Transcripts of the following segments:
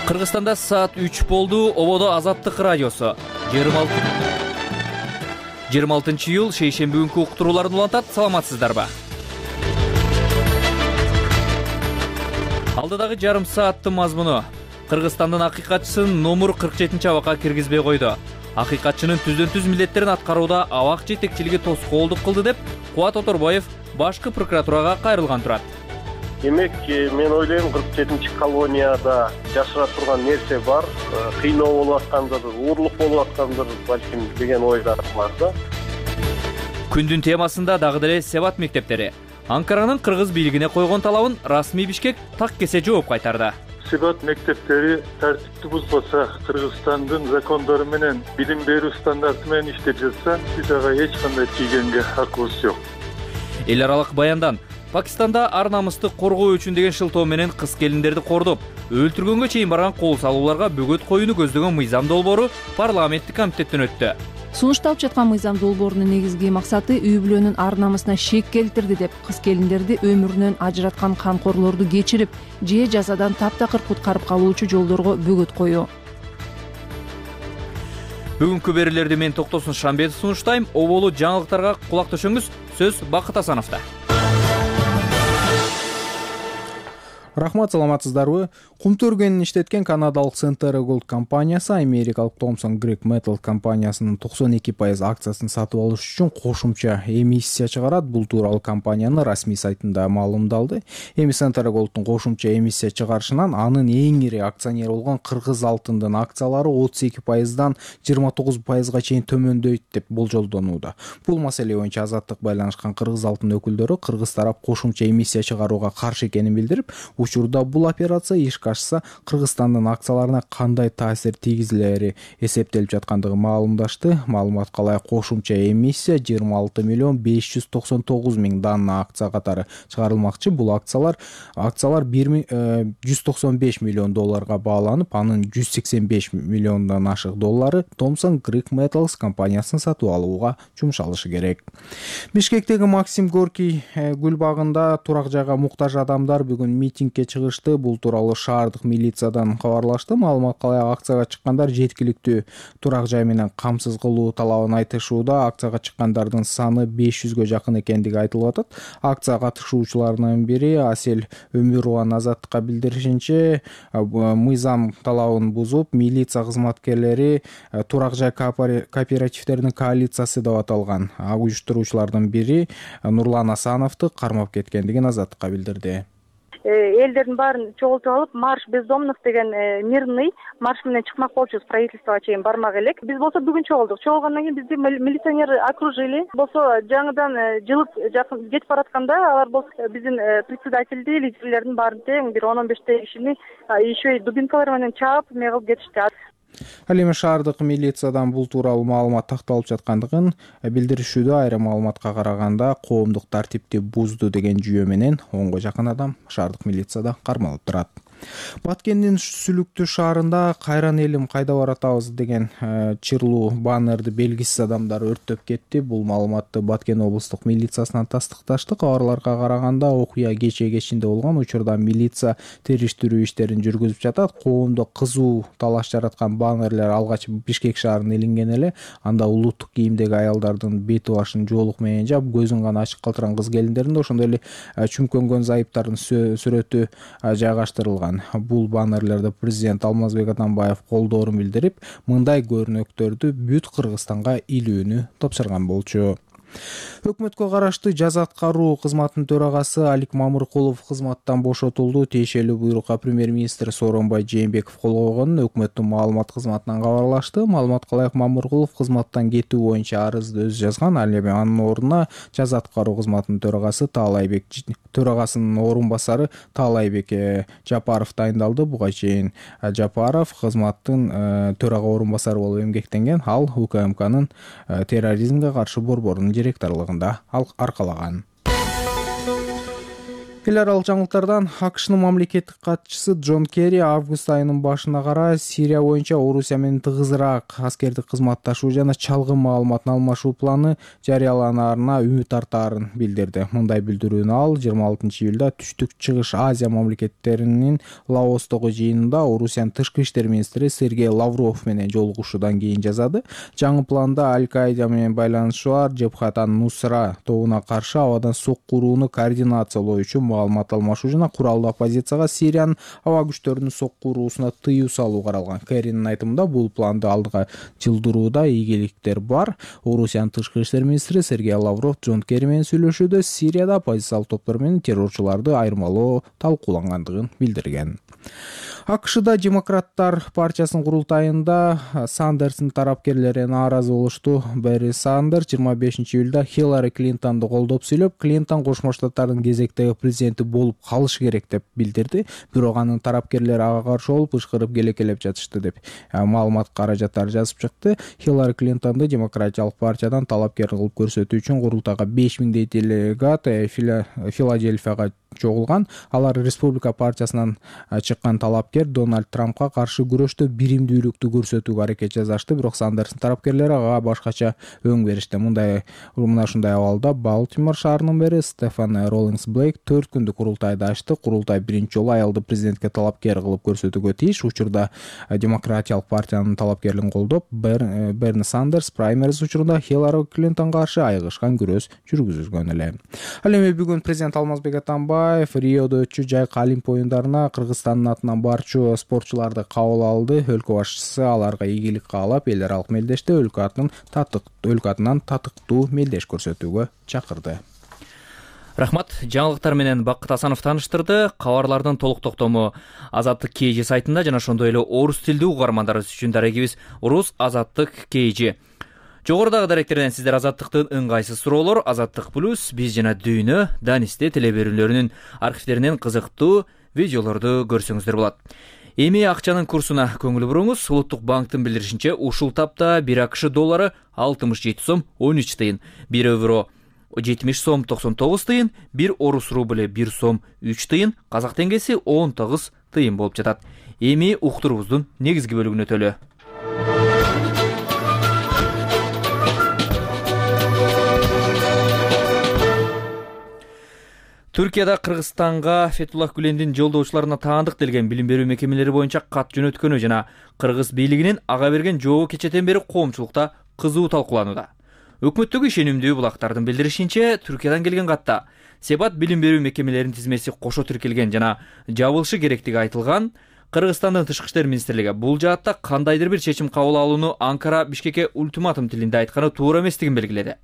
Кыргызстанда саат 3 болду. Ободо Азаттык радиосу 26 июл шейшемби күнкү уктурууларын улантат. Саламатсыздарбы? Алдыдагы жарым сааттын мазмуну: Кыргызстандын акыйкатчысын номур 47 абакка киргизбей койду. Акыйкатчынын түздөн-түз милдеттерин аткарууда абак жетекчилиги тоскоолдук кылды деп Кубат Оторбаев башкы прокуратурага кайрылган турат. Демек, мен ойлойм 47-чи колонияда жашыра турган нерсе бар. Кыйноо болуп аткандыр, уурлук болуп аткандыр, балким деген ойдар бар да. Күндүн темасында дагы деле Себат мектептери. Анкаранын кыргыз бийлигине койгон талабын расмий Бишкек так кесе жооп кайтарды. Себат мектептери тартипти бузбаса, Кыргызстандын закондору менен билим берүү стандарты менен иштеп жатса, биз ага эч кандай тийгенге хакыбыз жок. Эл аралык баяндан: Пакистанда ар намысты коргоо үчүн деген шылтоо менен кыз келиндерди кордоп, өлтүргөнгө чейин барган кол салууларга бөгөт коюуну көздөгөн мыйзам долбоору парламенттик комитеттен өттү. Сунушталып жаткан мыйзам долбоорунун негизги максаты үй бүлөнүн ар намысына шек келтирди деп кыз келиндерди өмүрүнөн ажыраткан камкорлорду кечирип, же жазадан таптакыр куткарып калуучу жолдорго бөгөт коюу. Бүгүнкү берүүлөрдү мен Токтосун Шамбетов сунуштайм. Оболу жаңылыктарга кулак төшөңүз. Сөз Бакыт Асановдо. Рахмат, саламатсыздарбы? Кумту өргөнүн иштеткен канадалык Centera Gold компаниясы америкалык Thomson Greek Metals компаниясынын 92% акциясын сатып алыш үчүн кошумча эмиссия чыгарат. Бул тууралуу компаниянын расмий сайтында маалымдалды. Эми Centera Gold'ун кошумча эмиссия чыгарышынан анын эң ири акционери болгон Кыргыз алтындын акциялары 32%дан 29%га чейин төмөндөйт деп болжолдонууда. Бул маселе боюнча Азаттык байланышкан Кыргыз алтын өкүлдөрү Кыргыз тарап кошумча эмиссия чыгарууга каршы экенин билдирип, учурда бул операция ишке ашса Кыргызстандын акцияларына кандай таасир тийгизилери эсептелип жаткандыгын маалымдашты. Маалыматка ылайык кошумча эмиссия 26,599,000 данна акция катары чыгарылмакчы. Бул акциялар $195 миллион бааланып, анын 185 миллиондон ашык доллары Thomson Greek Metals компаниясын сатып алууга жумшалышы керек. Бишкектеги Максим Горький гүл багында турак жайга муктаж адамдар бүгүн митингге чыгышты. Бул тууралуу шаардык милициядан кабарлашты. Маалыматка ылайык акцияга чыккандар жеткиликтүү турак жай менен камсыз кылуу талабын айтышууда. Акцияга чыккандардын саны 500гө жакын экендиги айтылып атат. Акция катышуучуларынын бири Асель Өмүрова Азаттыкка билдиришинче, мыйзам талабын бузуп, милиция кызматкерлери турак жай кооперативдеринин коалициясы деп аталган уюштуруучулардын бири Нурлан Асановду кармап кеткендигин Азаттыкка билдирди. Элдердин баарын чогултуп алып, марш бездомных деген мирный марш менен чыкмак болчубуз, правительствого чейин бармак элек. Биз болсо бүгүн чогулдук. Чогулгандан кийин бизди милиционер окружили. Болсо жаңыдан жылып жакын кетип баратканда, алар болсо биздин председательди, лидерлердин баарын тең бир 10-15 кишини еще и дубинкалар менен чаап кылып кетишти. Ал эми шаардык милициядан бул тууралуу маалымат такталып жаткандыгын билдиришүүдө. Айрым маалыматка караганда, коомдук тартипти бузду деген жүйө менен 10го жакын адам шаардык милицияда кармалып турат. Баткендин Сүлүктүү шаарында "Кайран элим, кайда баратабыз" деген чырлуу баннерди белгисиз адамдар өрттөп кетти. Бул маалыматты Баткен облустук милициясынан тастыкташты. Кабарларга караганда, окуя кечинде болгон. Учурда милиция териштирүү иштерин жүргүзүп жатат. Коомдо кызуу талаш жараткан баннерлер алгач Бишкек шаарына илинген эле. Анда улуттук кийимдеги аялдардын бети башын жоолук менен жаап, көзүн гана ачык калтырган кыз келиндердин, ошондой эле чүмкөнгөн зайыптардын сүрөтү жайгаштырылган. Бул баннерлерде президент Алмазбек Атамбаев колдоорун билдирип, мындай көрүнөктөрдү бүт Кыргызстанга илүүнү тапшырган болчу. Өкмөткө караштуу жаза аткаруу кызматынын төрагасы Алик Мамыркулов кызматтан бошотулду. Тиешелүү буйрукка премьер-министр Сооронбай Жээнбеков кол койгонун өкмөттүн маалымат кызматынан кабарлашты. Маалыматка ылайык Мамыркулов кызматтан кетүү боюнча арызды өзү жазган. Ал эми анын ордуна жаза аткаруу кызматынын төрагасынын орун басары Таалайбек Жапаров дайындалды. Буга чейин Жапаров кызматтын төрага орун басары болуп эмгектенген. Ал УКМКнын терроризмге каршы борборунун директорлугунда аркалаган. Эл аралык жаңылыктардан АКШнын мамлекеттик катчысы Джон Керри август айынын башына караа Сирия боюнча Орусия менен тыгызыраак аскердик кызматташуу жана чалгын маалыматын алмашуу планы жарыяланаарына үмүт артаарын билдирди. Мындай билдирүүнү ал 26-июлда Түштүк Чыгыш Азия мамлекеттеринин Лаостогу жыйынында Орусиянын тышкы иштер министри Сергей Лавров менен жолугушуудан кийин жазады. Жаңы планда Аль-Каида менен байланышы бар Жебхат ан-Нусра тобуна каршы абадан соккурууну координациялоо үчүн маалымат алмашуу жана куралдуу оппозицияга Сириянын аба күчтөрүнүн соккуруусуна тыюу салуу каралган. Керринин айтымында бул планды алдыга жылдырууда ийгиликтер бар. Орусиянын тышкы иштер министри Сергей Лавров Джон Керри менен сүйлөшүүдө Сирияда оппозициялык топтор менен террорчуларды айырмалоо талкуулангандыгын билдирген. АКШда демократтар партиясынын курултайында Сандерстин тарапкерлери нааразы болушту. Берни Сандерс 25-июлда Хиллари Клинтонду колдоп сүйлөп, Клинтон Кошмо Штаттардын кезектеги президенти болуп калышы керек деп билдирди. Бирок анын тарапкерлери ага каршы болуп ышкырып келекелеп жатышты деп маалымат каражаттары жазып чыкты. Хиллари Клинтонду демократиялык партиядан талапкер кылып көрсөтүү үчүн курултайга 5000 делегат Филадельфияга чогулган. Алар Республика партиясынан чыккан талапкер Дональд Трампка каршы күрөштө биримдүүлүктү көрсөтүүгө аракет жасашты, бирок Сандерстин тарапкерлери ага башкача өң беришти. Мына ушундай абалда Балтимор шаарынын мэри Стефан Роллингс Блейк 4 күндүк курултайды ачты. Курултай биринчи жолу аялды президентке талапкер кылып көрсөтүүгө тийиш. Учурда демократиялык партиянын талапкерлигин колдоп, Берни Сандерс праймериз учурунда Хиллари Клинтонго каршы айыгышкан күрөш жүргүзгөн эле. Ал эми бүгүн президент Алмазбек Атамбаев Риодо өтчү жайкы Олимп оюндарына Кыргызстандын атынан барчу спортчуларды кабыл алды. Өлкө башчысы аларга ийгилик каалап, эл аралык мелдеште өлкө атынан татыктуу мелдеш көрсөтүүгө чакырды. Рахмат. Жаңылыктар менен Бакыт Асанов тааныштырды. Кабарлардын толук токтому Азаттык KG сайтында жана ошондой эле орус тилдүү угармандарыбыз үчүн дарегибиз Рус Азаттык KG. Жогорудагы даректерден сиздер Азаттыктын ыңгайсыз суроолор, Азаттык Плюс, биз жана Дүйнө, Данисте телеберүүлөрүнүн архивдеринен кызыктуу видеолорду көрсөңүздөр болот. Эми акчанын курсуна көңүл буруңуз. Улуттук банктын билдиришинче, ушул тапта 1 АКШ доллары 67 сом 13 тыйын, 1 евро 70 сом 99 тыйын, 1 орус рубль 1 сом 3 тыйын, казак теңгеси 19 тыйын болуп жатат. Эми уктурубуздун негизги бөлүгүнө өтөлү. Түркияда Кыргызстанга Фетуллах Гүлендин жолдоочуларына таандык делген билим берүү мекемелери боюнча кат жөнөткөнү жана кыргыз бийлигинин ага берген жообу кечетен бери коомчулукта кызуу талкууланууда. Өкмөттөгү ишенимдүү булактардын билдиришинче, Түркиядан келген катта себат билим берүү мекемелеринин тизмеси кошо тиркелген жана жабылышы керектиги айтылган. Кыргызстандын тышкы иштер министрлиги бул жаатта кандайдыр бир чечим кабыл алууну Анкара Бишкекке ультиматум тилинде айтканы туура эместигин белгиледи.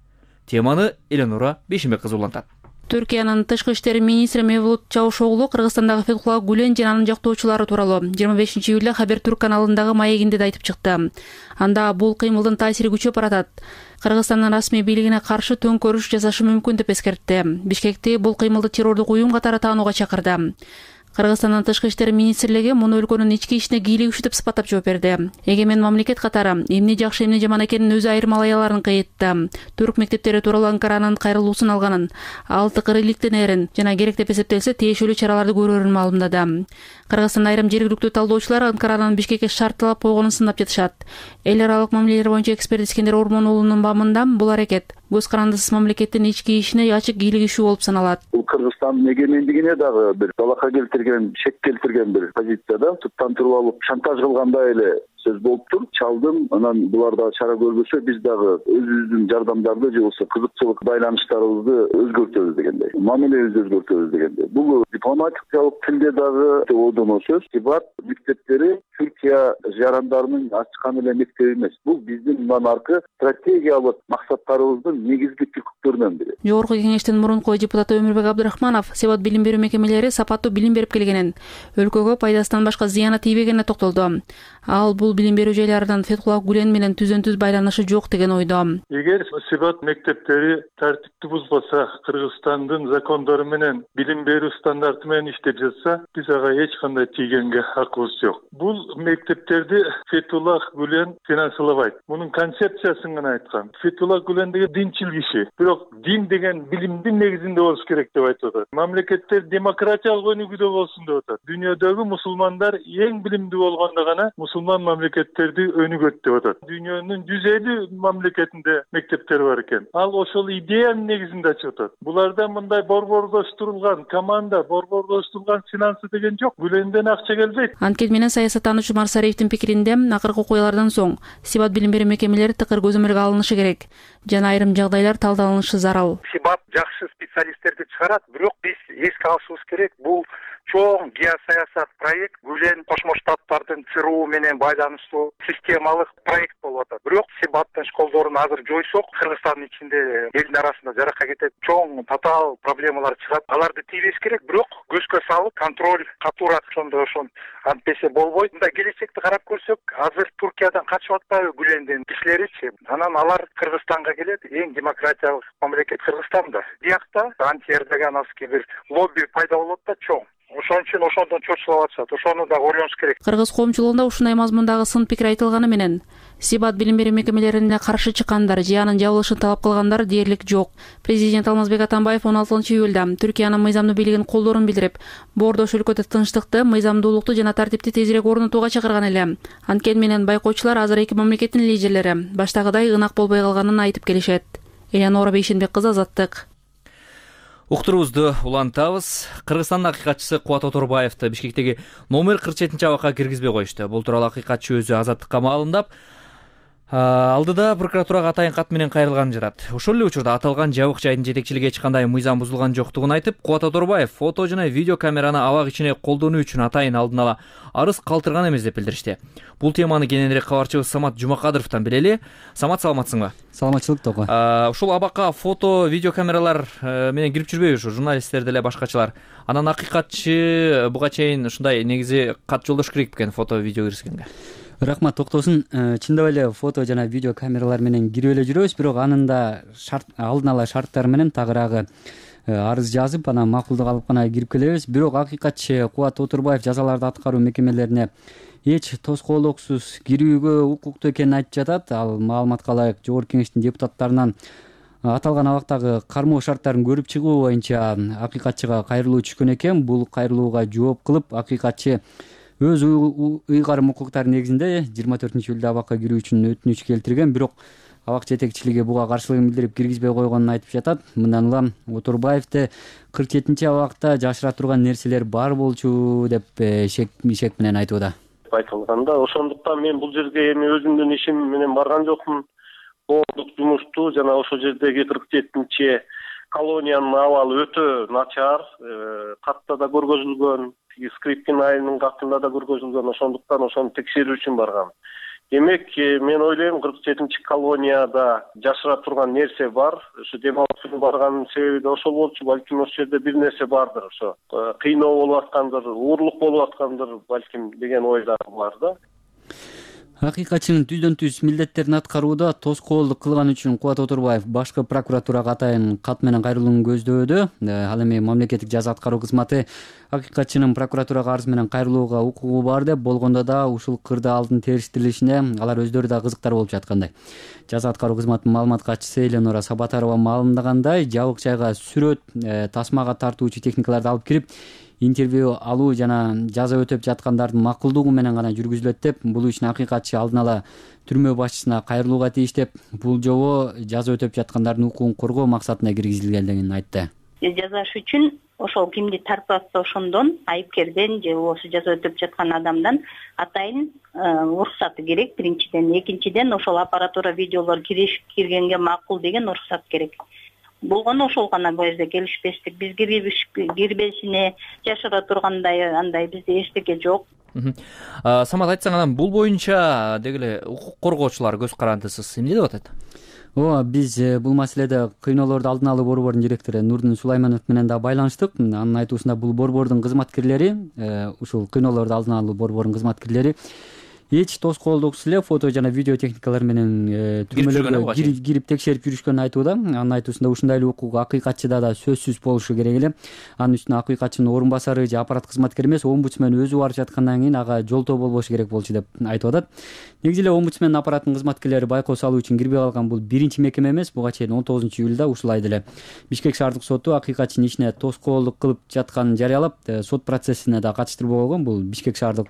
Теманы Эленора Бешимбек кызы улантат. Түркиянын тышкы иштер министри Мевлут Чавушоглу Кыргызстандагы Фетуллах Гүлен жана анын жактоочулары тууралуу 25-июлда Хабертүрк каналындагы маегинде да айтып чыкты. Анда бул кыймылдын таасири күчөп баратат. Кыргызстандын расмий бийлигине каршы төңкөрүш жасашы мүмкүн деп эскертти. Бишкекти бул кыймылды террордук уюм катары таанууга чакырды. Кыргызстандын тышкы иштер министрлиги муну өлкөнүн ички ишине кийлигишүү деп сыпаттап жооп берди. Эгемен мамлекет катары эмне жакшы эмне жаман экенин өзү айырмалай аларын кыйытты. Түрк мектептери тууралуу Анкаранын кайрылуусун алганын, ал тыкырыйлыктенерин жана керек деп эсептелсе тиешелүү чараларды көрөрүн маалымдады. Кыргызстан айрым жергиликтүү талдоочулар Анкаранын Бишкекке шартталап койгонун сындап жатышат. Эл аралык мамилелер боюнча эксперт Искендер Ормонулунун бамында бул аракет көз карандысыз мамлекеттин ички ишине ачык кийлигишүү болуп саналат. Бул Кыргызстандын эгемендигине дагы бир талакка келтирген, шек келтирген бир позицияда туттан туруп алып шантаж кылгандай эле сөз болуптур. Чалдым, анан булар дагы чара көрбөсө, биз дагы өзүбүздүн жардамдарды же болбосо кызыкчылык байланыштарыбызды өзгөртөбүз дегендей, мамилебизди өзгөртөбүз дегендей. Бул дипломатиялык тилде дагы одоно сөз. Тибат мектептери Түркия жарандарынын ачкан эле мектеби эмес. Бул биздин мындан аркы стратегиялык максаттарыбыздын негизги түпкүлөрүнөн бири. Жогорку кеңештин мурунку депутаты Өмүрбек Абдрахманов себат билим берүү мекемелери сапаттуу билим берип келгенин, өлкөгө пайдасынан башка зыяны тийбегенине токтолду. Ал бул билим берүү жайларынан Фетуллах Гүлен менен түзөн-түз байланышы жок деген ойдо. Эгер себат мектептери тартипти бузбаса, Кыргызстан Кыргызстандын закондору менен билим берүү стандарты менен иштеп жатса, биз ага эч кандай тийгенге акыбыз жок. Бул мектептерди Фетуллах Гүлен финансылабайт. Мунун концепциясын гана айткан. Фетуллах Гүлен деген динчил киши. Бирок дин деген билимдин негизинде болуш керек деп айтып атат. Мамлекеттер демократиялык өнүгүүдө болсун деп атат. Дүйнөдөгү мусулмандар эң билимдүү болгондо гана мусулман мамлекеттерди өнүгөт деп атат. Дүйнөнүн 150 мамлекетинде мектептер бар экен. Ал ошол идеянын негизинде ачып атат. Буларда мындай борбордоштурулган команда, борбордоштурулган финансы деген жок. Гүленден акча келбейт. Анткени менен саясаттануучу Марсариевдин пикиринде акыркы окуялардан соң Сибат билим берүү мекемелери тыкыр көзөмөлгө алынышы керек жана айрым жагдайлар талдалынышы зарыл. Сибат жакшы специалисттерди чыгарат, бирок биз эске алышыбыз керек, бул чоң геосаясат проект, Гүлен Кошмо Штаттардын ЦРУ менен байланыштуу системалык проект болуп атат. Бирок Сибаттын школдорун азыр жойсок, Кыргызстандын ичинде элдин арасында жаракка кетет, чоң татаал проблемалар чыгат. Аларды тийбеш керек, бирок көзгө салып, контроль катуураак ошондо антпесе болбойт. Мындай келечекти карап көрсөк, азыр Туркиядан качып атпайбы Гүлендин кишилеричи? Анан алар Кыргызстанга келет, эң демократиялык мамлекет Кыргызстанда. Биякта анти-эрдогановский бир лобби пайда болот да чоң. Ошон үчүн ошондон чочулап атышат. Ошону да ойлонуш керек. Кыргыз коомчулугунда ушундай мазмундагы сын пикир айтылганы менен Сибат билим берүү мекемелерине каршы чыккандар же анын жабылышын талап кылгандар дээрлик жок. Президент Алмазбек Атамбаев 16-июлда Түркиянын мыйзамдуу бийлигин колдоорун билдирип, боордош өлкөдө тынчтыкты, мыйзамдуулукту жана тартипти тезирээк орнотууга чакырган эле. Анткени менен байкоочулар азыр эки мамлекеттин лидерлери баштагыдай ынак болбой калганын айтып келишет. Элеонора Бейшенбек кызы, Азаттык. Уктуруубузду улантабыз. Кыргызстандын акыйкатчысы Кубат Оторбаевди Бишкектеги номер 47 абакка киргизбей коюшту. Бул тууралуу акыйкатчы өзү Азаттыкка маалымдап, алдыда прокуратурага атайын кат менен кайрылганын жатат. Ошол эле учурда аталган жабык жайдын жетекчилиги эч кандай мыйзам бузулган жоктугун айтып, Кубат Оторбаев фото жана видео камераны абак ичине колдонуу үчүн атайын алдын ала арыз калтырган эмес деп билдиришти. Бул теманы кененирээк кабарчыбыз Самат Жумакадыровдон билели. Самат, саламатсыңбы? Саламатчылык, Тoko. Ушул абакка фото, видео камералар менен кирип жүрбөйбү ушу журналисттер деле башкачылар? Анан акыйкатчы буга чейин ушундай негизи кат жолдош керек экен фото, видео киргизгенге. Рахмат, токтосун. Чындап эле фото жана видео камералар менен кирип эле жүрөбүз, бирок анын да алдын ала шарттары менен тагыраагы арыз жазып, анан макулдук алып гана кирип келебиз. Бирок акыйкатчы Кубат Оторбаев жазаларды аткаруу мекемелерине эч тоскоолдуксуз кирүүгө укуктуу экенин айтып жатат. Ал маалыматка ылайык Жогорку Кеңештин депутаттарынан аталган абактагы кармоо шарттарын көрүп чыгуу боюнча акыйкатчыга кайрылуу түшкөн экен. Бул кайрылууга жооп кылып, акыйкатчы өз ыйгарым укуктары негизинде 24-июлда абакка кирүү үчүн өтүнүч келтирген, бирок абак жетекчилиги буга каршылыгын билдирип киргизбей койгонун айтып жатат. Мындан улам Оторбаевди 47 абакта жашыра турган нерселер бар болчу деп шек менен айтууда. Айтылганда, ошондуктан мен бул жерге эми өзүмдүн ишим менен барган жокмун. Коомдук жумушту жана ошол жердеги 47 колониянын абалы өтө начар, катта да көргөзүлгөн, Скрипкин айылынын катында да көргөзүлгөн, ошондуктан ошону текшерүү үчүн баргам. Демек, мен ойлойм 47 колонияда жашыра турган нерсе бар. Ошо демалып барганын себеби да ошол болчу. Балким ошол жерде бир нерсе бардыр, ошо кыйноо болуп аткандыр, уурлук болуп аткандыр, балким деген ой да бар да. Акыйкатчынын түздөн-түз милдеттерин аткарууда тоскоолдук кылган үчүн Кубат Оторбаев башкы прокуратурага атайын кат менен кайрылууну көздөдү. Ал эми мамлекеттик жаза аткаруу кызматы акыйкатчынын прокуратурага арыз менен кайрылууга укугу бар деп болгондо да ушул кырда алдын териштирилишине алар өздөрү да кызыктар болуп жаткандай. Жаза аткаруу кызматынын маалымат катчысы Элеонора Сабатарова маалымдагандай, жабык жайга сүрөт, тасмага тартуучу техникаларды алып кирип, интервью алуу жана жаза өтөп жаткандардын макулдугу менен гана жүргүзүлөт деп, бул үчүн акыйкатчы алдын ала түрмө башчысына кайрылууга тийиш деп, бул жобо жаза өтөп жаткандардын укугун коргоо максатына киргизилгендигин айтты. Жазаш үчүн ошол кимди тартып атса ошондон, айыпкерден же болбосо жаза өтөп жаткан адамдан атайын уруксаты керек биринчиден. Экинчиден, ошол аппаратура видеолор киргенге макул деген уруксат керек. Болгону ошол гана бул жерде келишпестик. Биз кирбешине жашыра тургандай андай бизде эчтеке жок. Самат, айтсаң, анан бул боюнча дегеле укук коргоочулар көз карандысыз эмне деп атат? Биз бул маселеде кыйноолорду алдын алуу борборунун директору Нурдин Сулайманов менен да байланыштык. Анын айтуусунда бул борбордун кызматкерлери, ушул кыйноолорду алдын алуу борборунун кызматкерлери эч тоскоолдуксуз эле фото жана видео техникалар менен түрмөлөргө кирип текшерип жүрүшкөнүн айтууда. Анын айтуусунда ушундай эле укук акыйкатчыда да сөзсүз болушу керек эле. Анын үстүнө акыйкатчынын орун басары же аппарат кызматкери эмес, омбудсмен өзү барып жаткандан кийин ага жолтоо болбошу керек болчу деп айтып атат. Негизи эле омбудсмен аппаратынын кызматкерлери байкоо салуу үчүн кирбей калган бул биринчи мекеме эмес. Буга чейин 19-июлда ушулай деле Бишкек шаардык соту акыйкатчынын ишине тоскоолдук кылып жатканын жарыялап, сот процессине да катыштырбой койгон. Бул Бишкек шаардык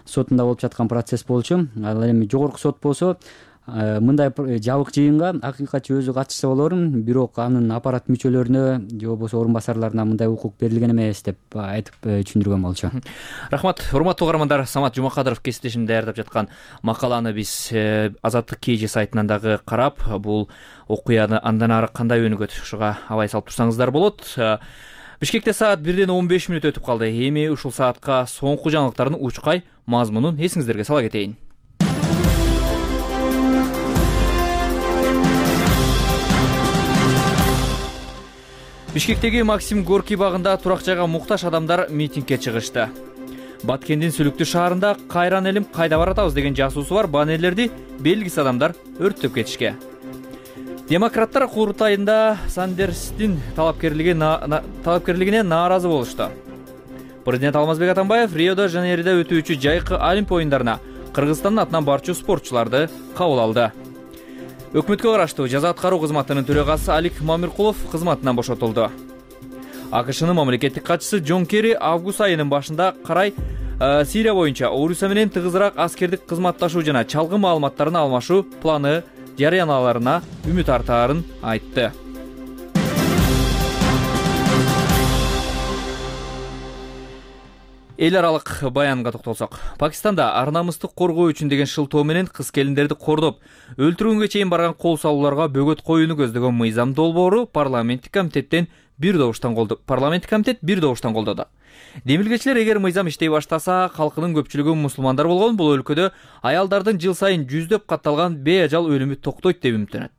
сотунда болуп жаткан процесс болчу. Ал эми жогорку сот болсо мындай жабык жыйынга акыйкатчы өзү катышса болорун, бирок анын аппарат мүчөлөрүнө же болбосо орун басарларына мындай укук берилген эмес деп айтып түшүндүргөн болчу. Рахмат. Урматтуу угармандар, Самат Жумакадыров кесиптешим даярдап жаткан макаланы биз Азаттык KG сайтынан дагы карап, бул окуяны андан ары кандай өнүгөт, ушуга абай салып турсаңыздар болот. Бишкекте саат 1:15 өтүп калды. Эми ушул саатка соңку жаңылыктардын учкай мазмунун эсиңиздерге сала кетейин. Бишкектеги Максим Горький багында турак жайга муктаж адамдар митингге чыгышты. Баткендин Сүлүктүү шаарында кайран элим кайда баратабыз деген жазуусу бар баннерлерди белгисиз адамдар өрттөп кетишкен. Демократтар курултайында Сандерстин талапкерлигине нааразы болушту. Президент Алмазбек Атамбаев Рио-де-Жанейрода өтүүчү жайкы Олимп оюндарына Кыргызстандын атынан барчу спортчуларды кабыл алды. Өкмөткө караштуу жаза аткаруу кызматынын төрагасы Алик Мамиркулов кызматынан бошотулду. АКШнын мамлекеттик катчысы Джон Керри август айынын башында карай Сирия боюнча Орусия менен тыгызыраак аскердик кызматташуу жана чалгы маалыматтарын алмашуу планы жарыяналарына үмүт артаарын айтты. Эл аралык баянга токтолсок, Пакистанда ар намыстык коргоо үчүн деген шылтоо менен кыз келиндерди кордоп, өлтүрүүгө чейин барган кол салууларга бөгөт коюуну көздөгөн мыйзам долбоору парламенттик комитет бир добуштан колдоду. Демилгечилер эгер мыйзам иштей баштаса, калкынын көпчүлүгү мусулмандар болгон бул өлкөдө аялдардын жыл сайын жүздөп катталган бейажал өлүмү токтойт деп үмүттөнөт.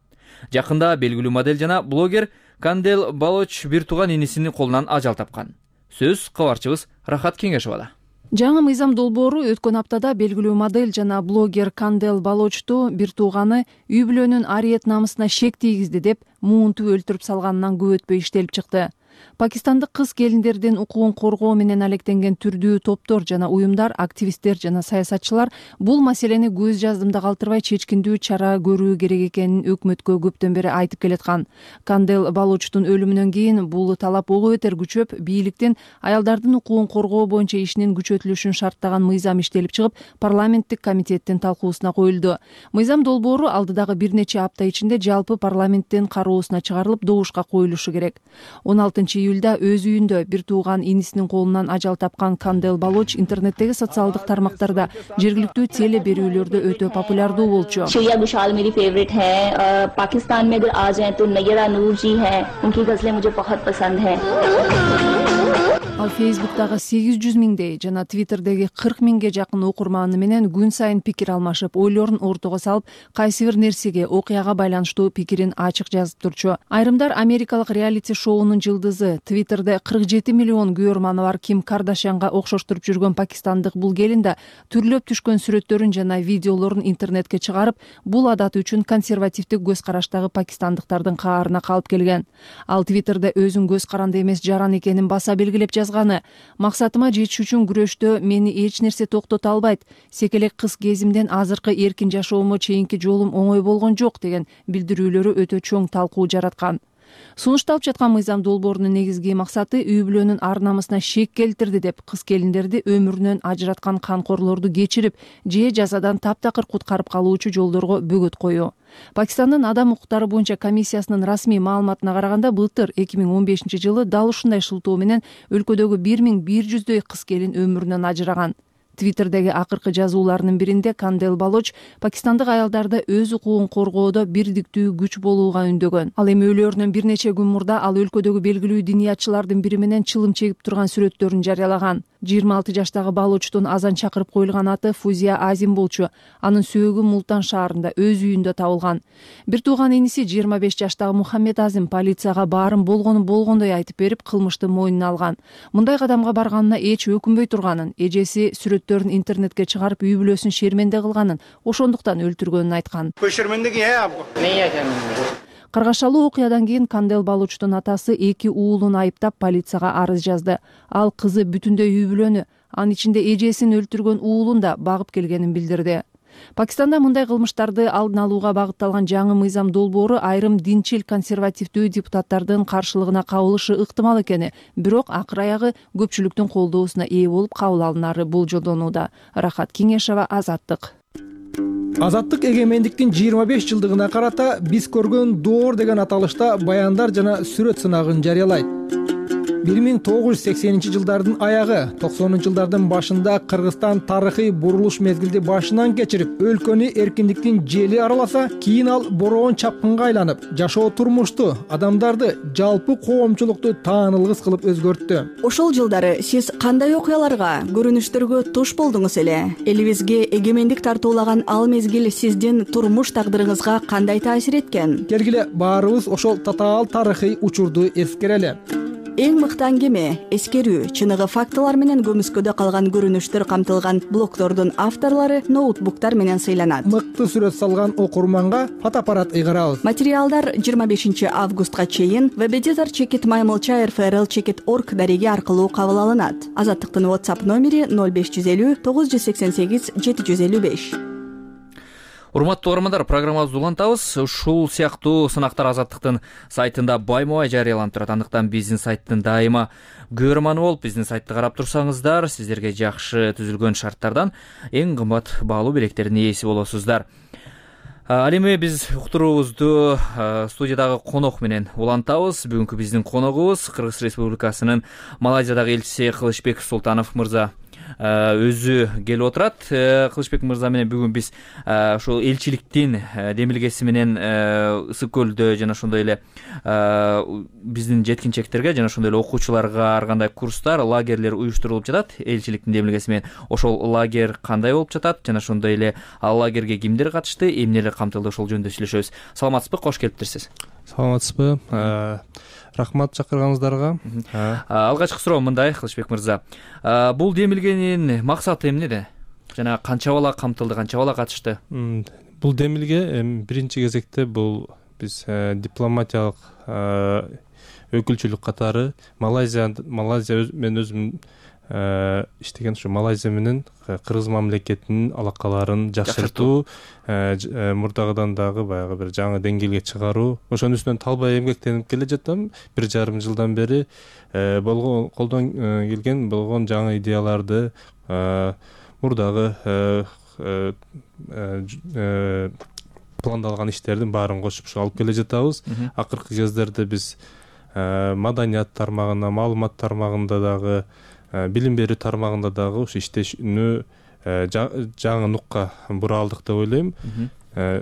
Жакында белгилүү модель жана блогер Кандел Балоч бир тууган инисинин колунан ажал тапкан. Сөз кабарчыбыз Рахат Кеңешовада. Жаңы мыйзам долбоору өткөн аптада белгилүү модель жана блогер Кандел Балочту бир тууганы үй бүлөнүн ариет намысына шек тийгизди деп муунтуп өлтүрүп салганынан көп өтпөй иштелип чыкты. Пакистандык кыз келиндердин укугун коргоо менен алектенген түрдүү топтор жана уюмдар, активисттер жана саясатчылар бул маселени көз жаздымда калтырбай чечкиндүү чара көрүү керек экенин өкмөткө көптөн бери айтып келаткан. Кандел Балочтун өлүмүнөн кийин бул талап ого бетер күчөп, бийликтин аялдардын укугун коргоо боюнча ишинин күчөтүлүшүн шарттаган мыйзам иштелип чыгып, парламенттик комитеттин талкуусуна коюлду. Мыйзам долбоору алдыдагы бир нече апта ичинде жалпы парламенттин кароосуна чыгарылып, добушка коюлушу керек. 16-июлда өз үйүндө бир тууган инисинин колунан ажал тапкан Кандел Балоч интернеттеги социалдык тармактарда, жергиликтүү теле берүүлөрдө өтө популярдуу болчу. Shreya Ghoshal मेरी फेवरेट है. पाकिस्तान में अगर आ जाएं तो नयरा नूर जी हैं. उनकी गजलें मुझे बहुत पसंद हैं. Ал Фейсбуктагы 800 миңдей жана Твиттердеги 40 миңге жакын окурманы менен күн сайын пикир алмашып, ойлорун ортого салып, кайсы бир нерсеге, окуяга байланыштуу пикирин ачык жазып турчу. Айрымдар америкалык реалити шоунун жылдызы, Твиттерде 47 миллион көрманы бар Ким Кардашьянга окшоштуруп жүргөн пакистандык бул келин да түрлөп түшкөн сүрөттөрүн жана видеолорун интернетке чыгарып, бул адаты үчүн консервативдик көз караштагы пакистандыктардын каарына калып келген. Ал Твиттерде өзүн көз каранды эмес жаран экенин баса белгилеп жазганы: максатыма жетиш үчүн күрөштө мени эч нерсе токтото албайт. Секелек кыз кезимден азыркы эркин жашоомо чейинки жолум оңой болгон жок деген билдирүүлөрү өтө чоң талкуу жараткан. Сунушталып жаткан мыйзам долбоорунун негизги максаты үй бүлөнүн ар намысына шек келтирди деп кыз келиндерди өмүрүнөн ажыраткан канкорлорду кечирип же жазадан таптакыр куткарып калуучу жолдорго бөгөт коюу. Пакистандын адам укуктары боюнча комиссиясынын расмий маалыматына караганда, былтыр 2015 жылы дал ушундай шылтоо менен өлкөдөгү 1100дөй кыз келин өмүрүнөн ажыраган. Твиттердеги акыркы жазууларынын биринде Кандел Балоч пакистандык аялдарды өз укугун коргоодо бирдиктүү күч болууга үндөгөн. Ал эми өлөөрүнөн бир нече күн мурда ал өлкөдөгү белгилүү диниятчылардын бири менен чылым чегип турган сүрөттөрүн жарыялаган. 26 жаштагы Балочтун азан чакырып коюлган аты Фузия Азим болчу. Анын сөөгү Мултан шаарында өз үйүндө табылган. Бир тууган иниси 25 жаштагы Мухаммед Азим полицияга баарын болгондой айтып берип, кылмышты мойнуна алган. Мындай кадамга барганына эч өкүнбөй турганын, эжеси сүрөт сүрөттөрүн интернетке чыгарып үй бүлөсүн шерменде кылганын, ошондуктан өлтүргөнүн айткан. Каргашалуу окуядан кийин Кандел Балучтун атасы 2 уулун айыптап полицияга арыз жазды. Ал кызы бүтүндөй үй бүлөнү, анын ичинде эжесин өлтүргөн уулун да багып келгенин билдирди. Пакистанда мындай кылмыштарды алдын алууга багытталган жаңы мыйзам долбоору айрым динчил консервативдүү депутаттардын каршылыгына кабылышы ыктымал экени, бирок акыр аягы көпчүлүктүн колдоосуна ээ болуп кабыл алынары болжолдонууда. Рахат Кеңешова, Азаттык. Азаттык эгемендиктин 25 жылдыгына карата биз көргөн доор деген аталышта баяндар жана сүрөт сынагын жарыялайт. 1980-жылдардын аягы, 90-жылдардын башында Кыргызстан тарыхый бурулуш мезгилди башынан кечирип, өлкөнү эркиндиктин жели араласа, кийин ал бороон чапкынга айланып, жашоо турмушту, адамдарды, жалпы коомчулукту таанылгыс кылып өзгөрттү. Ошол жылдары сиз кандай окуяларга, көрүнүштөргө туш болдуңуз эле? Элибизге эгемендик тартуулаган ал мезгил сиздин турмуш тагдырыңызга кандай таасир эткен? Келгиле баарыбыз ошол татаал тарыхый учурду эскерели. Эң мыкты аңгеме, эскерүү, чыныгы фактылар менен көмүскөдө калган көрүнүштөр камтылган блогдордун авторлору ноутбуктар менен сыйланат. Мыкты сүрөт салган окурманга фотоаппарат ыйгарабыз. Материалдар 25 августка чейин www.mymlcha.rfrl.org дареги аркылуу кабыл алынат. Азаттыктын WhatsApp номери 0550 988 755. Урматтуу угармандар, программабызды улантабыз. Ушул сыяктуу сынактар Азаттыктын сайтында байма-бай жарыяланып турат. Андыктан биздин сайттын дайыма көрөрманы болуп, биздин сайтты карап турсаңыздар, сиздерге жакшы түзүлгөн шарттардан эң кымбат баалуу билектердин ээси болосуздар. Ал эми биз уктуруубузду студиядагы конок менен улантабыз. Бүгүнкү биздин коногубуз Кыргыз Республикасынын Малайзиядагы элчиси Кылычбек Султанов мырза өзү келип отурат. Кылычбек мырза менен бүгүн биз ошол элчиликтин демилгеси менен Ысык көлдө жана ошондой эле биздин жеткинчектерге жана ошондой эле окуучуларга ар кандай курстар, лагерлер уюштурулуп жатат элчиликтин демилгеси менен. Ошол лагерь кандай болуп жатат жана ошондой эле ал лагерге кимдер катышты, эмнелер камтылды, ошол жөнүндө сүйлөшөбүз. Саламатсызбы? Кош келиптирсиз. Саламатсызбы? Рахмат чакырганыңыздарга. Алгачкы суроо мындай, Кылычбек мырза. Бул демилгенин максаты эмнеде? Жана канча бала камтылды, канча бала катышты? Бул демилге биринчи кезекте бул биз дипломатиялык өкүлчүлүк катары Малайзия мен өзүм иштеген ушу Малайзия менен Кыргыз мамлекетинин алакаларын жакшыртуу, мурдагыдан дагы баягы бир жаңы деңгээлге чыгаруу, ошонун үстүнөн талбай эмгектенип келе жатам. 1,5 жылдан бери колдон келген болгон жаңы идеяларды, мурдагы пландалган иштердин баарын кошуп алып келе жатабыз. Акыркы кездерде биз маданият тармагына, маалымат тармагында дагы, билим берүү тармагында дагы ушу иштешүүнү жаңы нукка бура алдык деп ойлойм.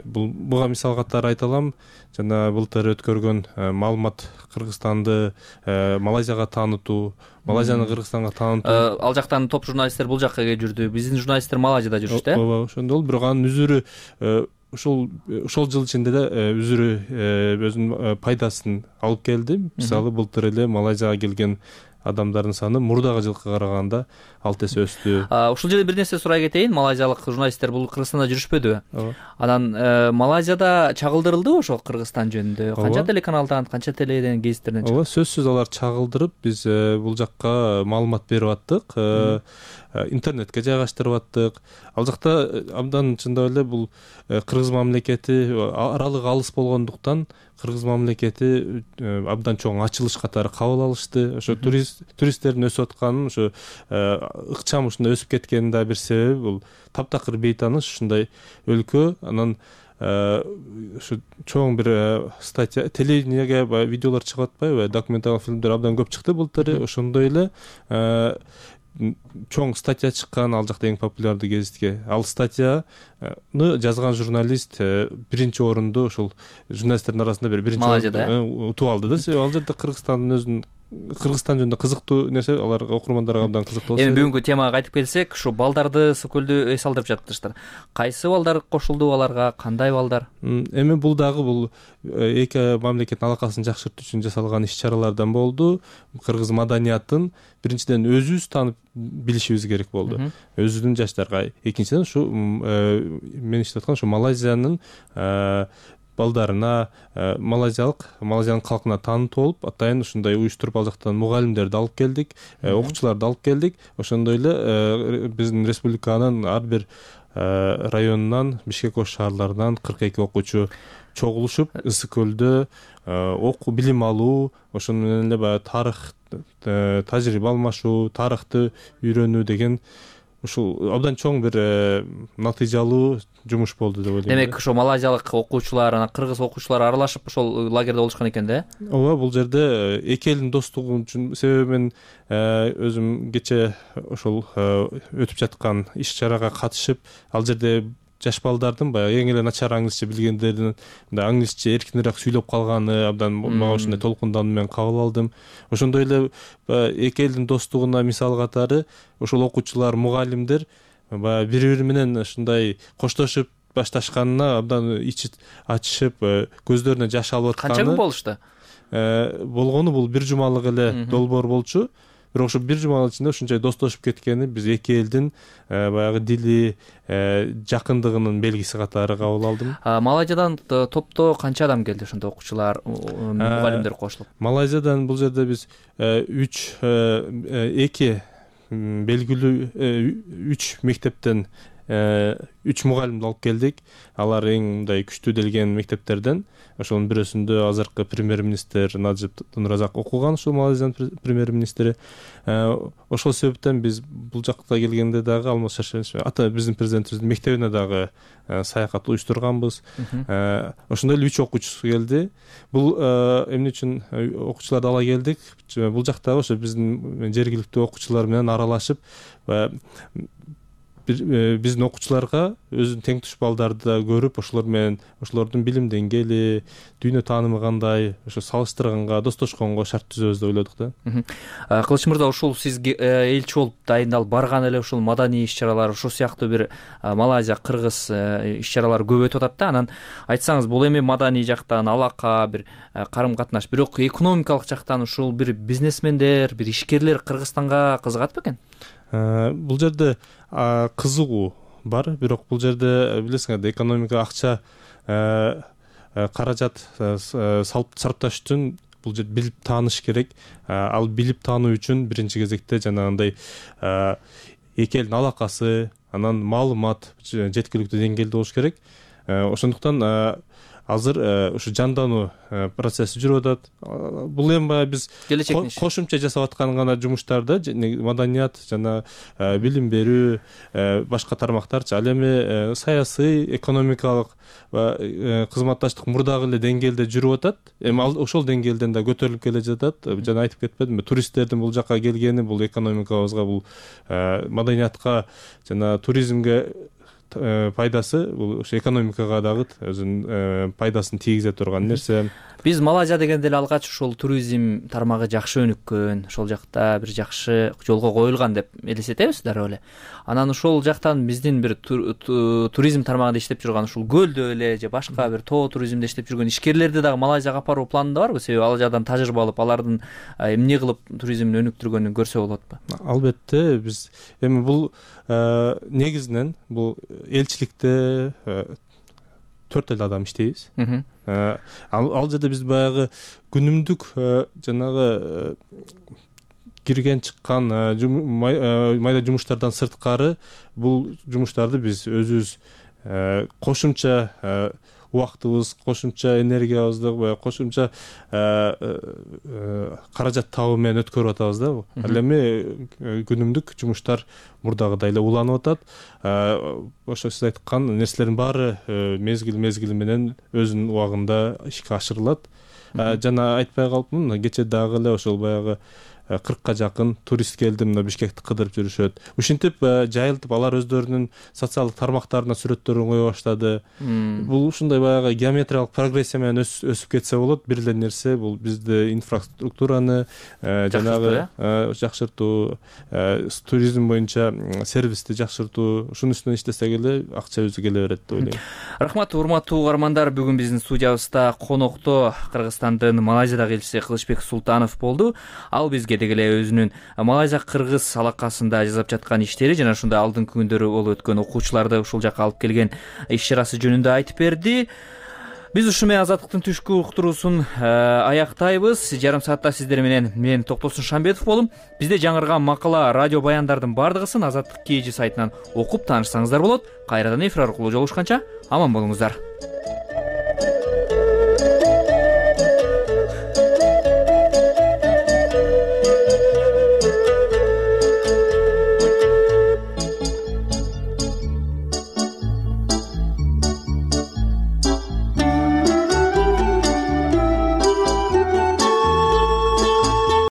Буга мисал катары айта алам. Жана былтыр өткөргөн маалымат Кыргызстанды Малайзияга таанытуу, Малайзияны Кыргызстанга таанытуу. Ал жактан топ журналисттер бул жакка келип жүрдү. Биздин журналисттер Малайзияда жүрүштү. Ооба, ошондо бирок анын үзүрү ошол жыл ичинде да үзүрү өзүнүн пайдасын алып келди. Мисалы былтыр эле Малайзияга келген адамдардын саны мурдагы жылкы караганда 6 эсе өстү. Ушул жерде бир нерсе сурай кетейин. Малайзиялык журналисттер бул Кыргызстанда жүрүшпөдүбү? Анан Малайзияда чагылдырылдыбы ошол Кыргызстан жөнүндө? Канча телеканалдан, канча теледен, гезиттерден чыкты? Ооба, сөзсүз алар чагылдырып, биз бул жакка маалымат берип аттык. Интернетке жайгаштырып аттык. Ал жакта абдан чындап эле бул Кыргыз мамлекети аралыгы алыс болгондуктан Кыргыз мамлекети абдан чоң ачылыш катары кабыл алышты. Ошо туристтердин өсүп атканын, ошо ыкчам ушундай өсүп кеткенин да бир себеби бул таптакыр бейтаныш ушундай өлкө. Анан ушу чоң бир статья, телевидениеге видеолор чыгып атпайбы, документалдык фильмдер абдан көп чыкты былтыр. Ошондой эле чоң статья чыккан ал жакта эң популярдуу гезитке. Ал статьяны жазган журналист биринчи орунду ошол журналисттердин арасында бир биринчи орунду утуп алды да. Ал жерде Кыргызстандын өзүнүн Кыргызстан жөнүндө кызыктуу нерсе, аларга, окурмандарга абдан кызыктуу болсо. Эми бүгүнкү темага кайтып келсек, ушу балдарды Сокөлдү эс алдырып жатыптырсыздар. Кайсы балдар кошулду аларга, кандай балдар? Эми бул дагы бул эки мамлекеттин алакасын жакшыртуу үчүн жасалган иш-чаралардан болду. Кыргыз маданиятын биринчиден өзүбүз таанып билишибиз керек болду. Өзүбүздүн жаштарга. Экинчиден ушу мен иштеп аткан ушу Малайзиянын балдарына, Малайзиянын калкына таанытуу болуп, атайын ушундай уюштуруп ал жактан мугалимдерди алып келдик, окуучуларды алып келдик. Ошондой эле биздин республиканын ар бир районунан, Бишкек ош шаарларынан 42 окуучу чогулушуп, Ысык көлдө билим алуу, ошону менен эле баягы тарых, тажрыйба алмашуу, тарыхты үйрөнүү деген ушул абдан чоң бир натыйжалуу жумуш болду деп ойлойм. Демек, ошо малайзиялык окуучулар, анан кыргыз окуучулар аралашып ошол лагерде болушкан экен да? Ооба, бул жерде эки элдин достугу үчүн, себеби мен өзүм кече ошол өтүп жаткан иш-чарага катышып, ал жерде жаш балдардын баягы эң эле начар англисче билгендердин мындай англисче эркинирээк сүйлөп калганы абдан мага ушундай толкундануу менен кабыл алдым. Ошондой эле эки элдин достугуна мисал катары ошол окуучулар, мугалимдер баягы бири-бири менен ушундай коштошуп башташканына абдан ичи ачышып, көздөрүнө жаш алып атканы. Канча күн болушту? Болгону бул бир жумалык эле долбоор болчу. Бирок ошо бир жуманын ичинде ушунчай достошуп кеткени биз эки элдин баягы дили жакындыгынын белгиси катары кабыл алдым. Малайзиядан топто канча адам келди ошондо, окуучулар, мугалимдер кошулуп? Малайзиядан бул жерде биз эки белгилүү 3 мектептен 3 мугалимди алып келдик. Алар эң мындай күчтүү делген мектептерден. Ошонун бирөөсүндө азыркы премьер-министр Наджиб Нуразак окуган, ушул Малайзиянын премьер-министри. Ошол себептен биз бул жакка келгенде дагы Алмаз Шаршенович, биздин президентибиздин мектебине дагы саякат уюштурганбыз. Ошондой эле 3 окуучусу келди. Бул эмне үчүн окуучуларды ала келдик? Бул жактагы ошо биздин жергиликтүү окуучулар менен аралашып, биздин окуучуларга өзүнүн тең туш балдарды да көрүп, ошолор менен ошолордун билим деңгээли, дүйнө таанымы кандай, ошо салыштырганга, достошконго шарт түзөбүз деп ойлодук да. Кылыч мырза, ушул сизге элчи болуп дайындалып барган эле ушул маданий иш-чаралар, ушул сыяктуу бир Малайзия, Кыргыз иш-чаралары көп өтүп атат да. Анан айтсаңыз, бул эми маданий жактан алака, бир карым-катнаш, бирок экономикалык жактан ушул бир бизнесмендер, бир ишкерлер Кыргызстанга кызыгат бекен? Бул жерде кызыгуу бар, бирок бул жерде билесиңер да, экономика, акча, каражат сарпташ үчүн бул жерде билип тааныш керек. Ал билип таануу үчүн биринчи кезекте жанагындай эки элдин алакасы, анан маалымат жеткиликтүү деңгээлде болуш керек. Ошондуктан азыр ушу жандануу процесси жүрүп атат. Бул эми баягы биз кошумча жасап аткан гана жумуштарда, маданият жана билим берүү, башка тармактарчы. Ал эми саясий, экономикалык кызматташтык мурдагы эле деңгээлде жүрүп атат. Эми ал ошол деңгээлден да көтөрүлүп келе жатат. Жана айтып кетпедимби, туристтердин бул жакка келгени бул экономикабызга, бул маданиятка жана туризмге пайдасы, бул ошо экономикага дагы өзүнүн пайдасын тийгизе турган нерсе. Биз Малайзия дегенде эле алгач ушул туризм тармагы жакшы өнүккөн, ошол жакта бир жакшы жолго коюлган деп элестетебиз дароо эле. Анан ошол жактан биздин бир туризм тармагында иштеп жүргөн, ушул көлдө эле же башка бир тоо туризмде иштеп жүргөн ишкерлерди дагы Малайзияга апаруу планында барбы? Себеби ал жадан тажрыйба алып, алардын эмне кылып туризмин өнүктүргөнүн көрсө болот го? Албетте, биз эми бул негизинен бул элчиликте 4 эле адам иштейбиз. Ал жерде биз баягы күнүмдүк жанагы кирген чыккан майда жумуштардан сырткары бул жумуштарды биз өзүбүз кошумча убактыбыз, кошумча энергиябызды, кошумча каражат табуу менен өткөрүп атабыз да. Ал эми күнүмдүк жумуштар мурдагыдай эле уланып атат. Ошо сиз айткан нерселердин баары мезгили менен өзүнүн убагында ишке ашырылат. Жана айтпай калыпмын, кече дагы эле ошол баягы 40 жакын турист келди мына Бишкекти кыдырып жүрүшөт. Ушинтип жайылтып алар өздөрүнүн социалдык тармактарына сүрөттөрүн кое баштады. Бул ушундай баягы геометриялык прогрессия менен өсүп кетсе болот. Бир эле нерсе бул бизди инфраструктураны жанагы жакшыртуу, туризм боюнча сервисти жакшыртуу, ушунун үстүнөн иштесек эле акча өзү келе берет деп ойлойм. Рахмат, урматтуу угармандар. Бүгүн биздин студиябызда конокто Кыргызстандын Малайзиядагы элчиси Кылычбек Султанов болду. Ал бизге деле өзүнүн Малайзия-Кыргыз алакасында жасап жаткан иштери жана ушундай алдыңкы күндөрү болуп өткөн окуучуларды ушул жака алып келген иш-чарасы жөнүндө айтып берди. Биз ушу менен Азаттыктын түшкү уктуруусун аяктайбыз. Жарым саатта сиздер менен мен Токтосун Шамбетов болдум. Бизде жаңырган макала, радио баяндардын бардыгысын Азаттык KG сайтынан окуп таанышсаңыздар болот. Кайрадан эфир аркылуу жолугушканча аман болуңуздар.